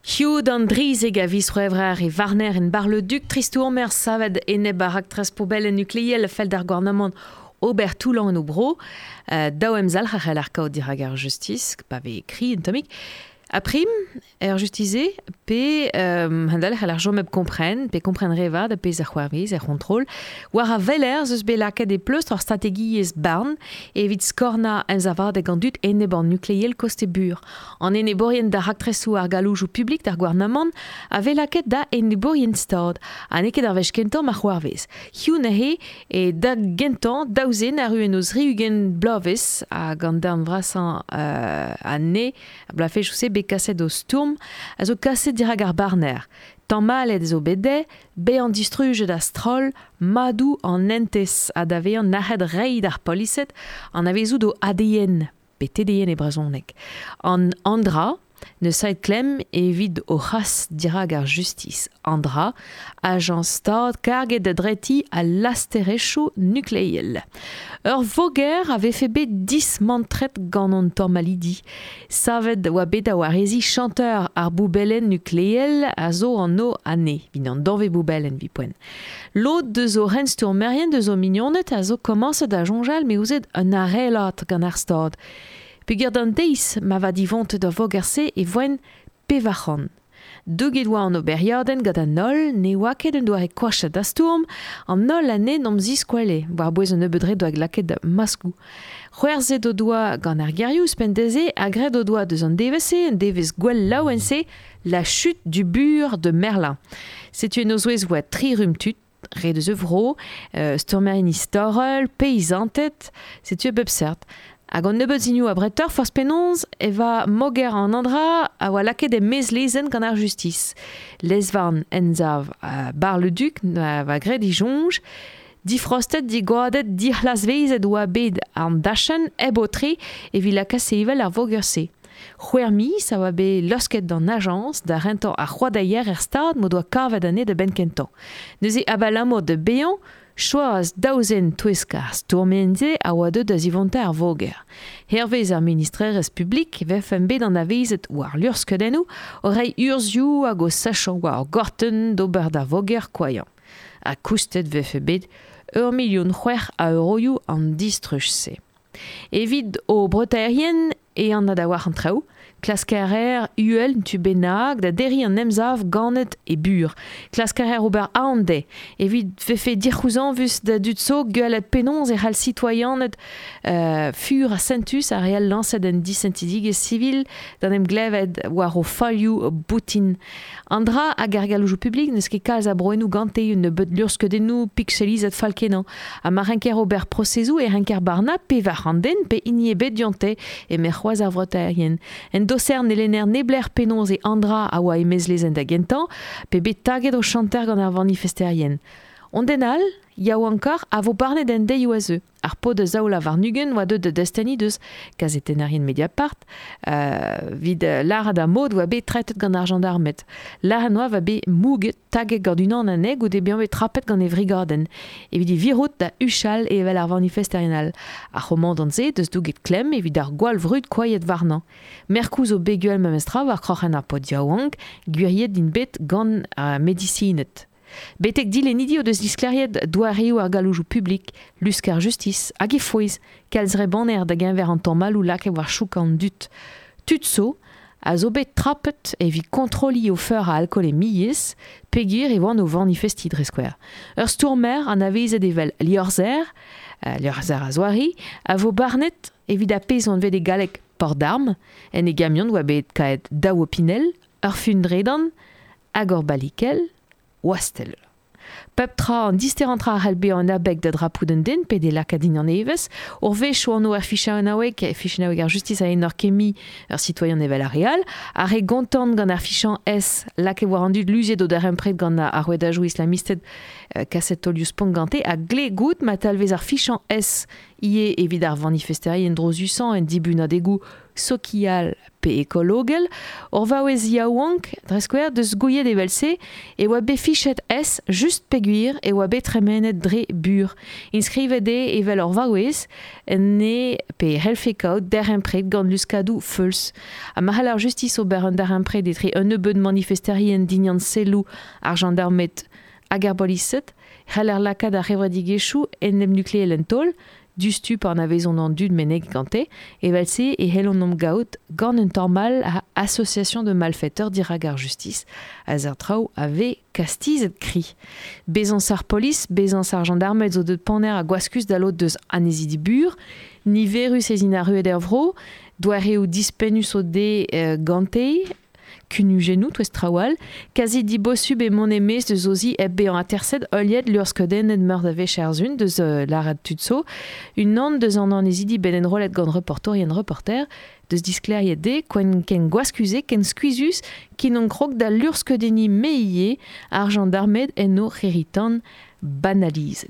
Hiziv d'an drizek a viz C'hwevrer e varner en Bar-le-Duc tristourmer savet enep ar raktres poubellenn nukleel a fell d'ar gouarnamant ober toullañ en o bro. Daou emzalc'h a c'hell ar kaout dirak ar justis, pa vez kri un tammig. Ha prim, er justiz-se, pe hendalc'h c'hell ar chom hep kompren, pe kompren re vat ar pezh a c'hoarvez er c'hontrol, war a weler ez eus bet lakaet e pleustr ur strategiezh barn evit skornañ emsavadeg an dud enep an nukleel koste bur. An enebourien da raktresoù ar galloujoù publik d'ar gouarnamant a vez lakaet da enebourien stad, ha n'eo ket ar wech kentañ ma c'hoarvez. Hiziv neuze e da gentañ daou zen arru en o zri-ugent bloavezh hag an darn vrasañ anezhe a bloavezhioù-se bet kaset o stourm a zo kaset dirak ar barner. Tamallet zo bet dezhe bezañ distrujet a-stroll madoù an hentez ha da vezañ nac'het reiñ d'ar polised anavezout o ADN pe TDN e brezhoneg. An Andra N'eus saet klemm evit o c'has dirak ar justis. An dra, ajañs stad karget da dretiñ al lasterezhioù nukleel. Ur voger a vefe bet dismantret gant an tamalidi. Savet oa bet da wareziñ chanter ar boubellenn nukleel a zo anv anezhe, evit an danvez boubellenn evit poent. Lod deus o c'henstourmerien deus o mignoned a zo komañset da soñjal m'eo un arelad gant ar stad. Peogwir d'an deiz ma va divontet ar voger-se e voent 400. Douget oa an oberiadenn gant an holl, ne oa ket un doare koachet da stourm, an holl anezhe n'omp ziskwele, war-bouez un nebeud re doa lakaet maskoù. C'hwerzhet o doa gant ar gerioù ouzhpenn dezhe ha graet o doa deus an devezh-se, un devezh gwell laouen-se, la chute du bur de Merlin. Setu en o zouez oa tri rumm tud, re deus e vro, stourmerien istorel, peizanted, setu a bep seurt. Hag an nebeud sinioù abretoc'h, forzh penaos, e va moger an Andra a oa lakaet e-maez lezenn gant ar justis. Lez-varn emsav Bar-le-Duc va graet e soñj, difrostet, digoadet, dic'hlasvezet oa bet an dachenn hep aotre evit lakaat sevel ar voger-se. C'hwec'h miz a oa bet laosket d'an ajañs da rentañ ar c'hoadeier er stad m'o doa kavet anezhe da benn-kentañ. Neuze abalamour da baeañ, choaz daou zen touesk ar stourmerien-se a oa deuet da zivontañ ar voger. Hervez ar ministrerezh publik e vefent bet anavezet war luc'hskeudennoù o reiñ urzhioù hag o sachañ war ur gortenn d'ober d'ar voger koailhañ. Ha koustet vefe bet 1,6 milion a euroioù an distruj-se. Evit o breutaerien e anat a-walc'h an traoù. Klask a reer uhel un tu bennak da derriñ an emsav ganet e bur. Klask a reer ober aon dezhe evit vefe dic'houzañvus da dud zo gwelet penaos e c'hall sitoaianed fur ha sentus ar re all lañset en disentidigezh sivil d'an em glevet war o falioù boutin. An dra hag ar galloujoù publik n'eus ket kalz a broennoù gante un nebeud luc'hskeudennoù pikselizet fall-kenañ. Ha ma renker ober prosezoù e renker barnañ 400 den pe hini ebet dionte, eme c'hoazh ar vreutaerien. En doser ne lenner neblec'h penaos e Andra a oa e-maez lezenn da gentañ, pe bet taget o chanter gant ar vanifesterien. On den all, yaouankoc'h, a vo barnet en deioù a zeu. Ar paotr a 22 oa deuet da desteni deus kazetennerien Mediapart evit lâret ar mod oa bet tretet gant ar jañdarmed. Lâret 'noa oa bet mouget, taget gant unan anezhe goude bezañ bet trapet gant e vrigadenn evit e virout da huchal evel ar vanifesterien all. Ar c'homandant-se deus douget klemm evit ar gwall vrud koailhet warnañ. Merkoù zo bet gwell memestra war kroc'hen ar paotr yaouank, gwiriet int bet gant ar medisined. Betek dilennidi o deus disklêriet doareoù ar galloujoù publik, lusk ar justis hag he fouez, kalz re bonner da geñver an tamalloù lakaet war chouk an dud. Tud zo a zo bet trapet evit kontrolliñ o feur a alkoolemiezh peogwir e oant o vanifestiñ dre skouer. Ur stourmer anavezet evel liorzher, liorzher a-zoare, a vo barnet evit ar pezh anvet e galleg port d'armes. En e gamion oa bet kaeet daou opinell, ur fun-dredan hag ur balikell wastell. Pep tra, an disterañ tra a c'hell bezañ un abeg da drapout un den pe d'e lakaat din an evezh. Ur wech oan er fichaouennaoueg, fichaouennaoueg ar justis a enor kemmiñ ur sitoaian evel ar re all. Ar re gontant gant ar fichañ S lakaet war an dud luziet o darempred gant ar rouedajoù islamisted kaset taolioù spont gante a gle goût ma talvez ar fichañ S ivez evit ar vanifesterien drozusañ en dibunadegoù sokial pe ekologel. Ur vaouez yaouank, dre skouer, deus gouiet evel-se e oa bet fichet S just peogwir e oa bet tremenet dre Bur. Inskrivet eo evel ur vaouez, ne pe c'hellfe kaout derempred gant luskadoù feuls. Ha ma c'hell ar justis ober un darempred etre un nebeud manifesterien dinian selloù ar jandarmed hag ar bolised, c'heller lakaat ar c'hevredigezhioù enepnukleel en taol, diouzhtu pa anavezont an dud meneget gante. Evel-se e c'hellont 'n om gaout gant un tamall a association de malfaiteurs dirak ar justis, ha seurt traoù a vez kastizet kri. Bezañs ar polis, bezañs ar jandarmed zo deuet ponner ha gwaskus da lod deus annezidi Bur. Niverus ez int arruet er vro, doareoù dispennus o dez gante, kunujennoù touez traoù all, kazi dibosubl eo mont e-maez deus o zi hep bezañ aterset, heuliet luc'hskeudennet meur da wech er sun deus lâret tud zo. Unan deus an annezidi bet enrollet gant reportourien Reporter deus disklêriet dezhe ken ken gwaskus eo, ken skuizhus ken on krog da luc'hskeudenniñ me ivez ar jandarmed en o c'hirri-tan banalizet.